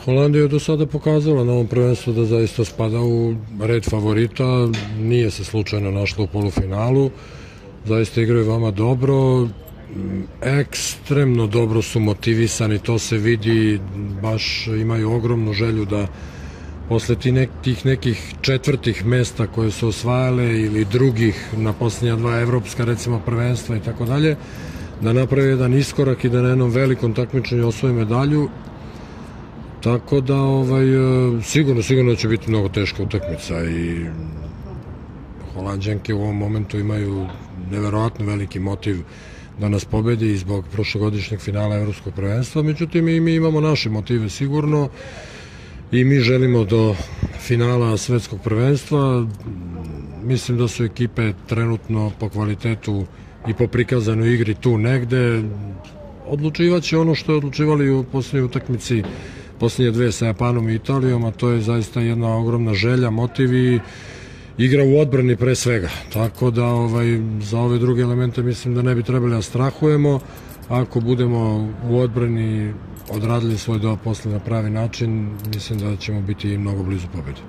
Holandija je do sada pokazala na ovom prvenstvu da zaista spada u red favorita, nije se slučajno našla u polufinalu, zaista igraju veoma dobro, ekstremno dobro su motivisani, to se vidi, baš imaju ogromnu želju da posle tih nekih četvrtih mesta koje su osvajale ili drugih na posljednja dva evropska recimo prvenstva i tako dalje, da naprave jedan iskorak i da na jednom velikom takmičenju osvoje medalju. Tako da sigurno će biti mnogo teška utakmica i Holanđanke u ovom momentu imaju neverovatno veliki motiv da nas pobedi zbog prošlogodišnjeg finala evropskog prvenstva, međutim i mi imamo naše motive sigurno i mi želimo do finala svetskog prvenstva. Mislim da su ekipe trenutno po kvalitetu i po prikazanoj igri tu negde. Odlučivaće ono što je odlučivali u posljednjoj utakmici, posljednje dve sa Japanom i Italijom, a to je zaista jedna ogromna želja, motiv i igra u odbrani pre svega. Tako da za ove druge elemente mislim da ne bi trebali da strahujemo. Ako budemo u odbrani odradili svoj deo posle na pravi način, mislim da ćemo biti mnogo blizu pobede.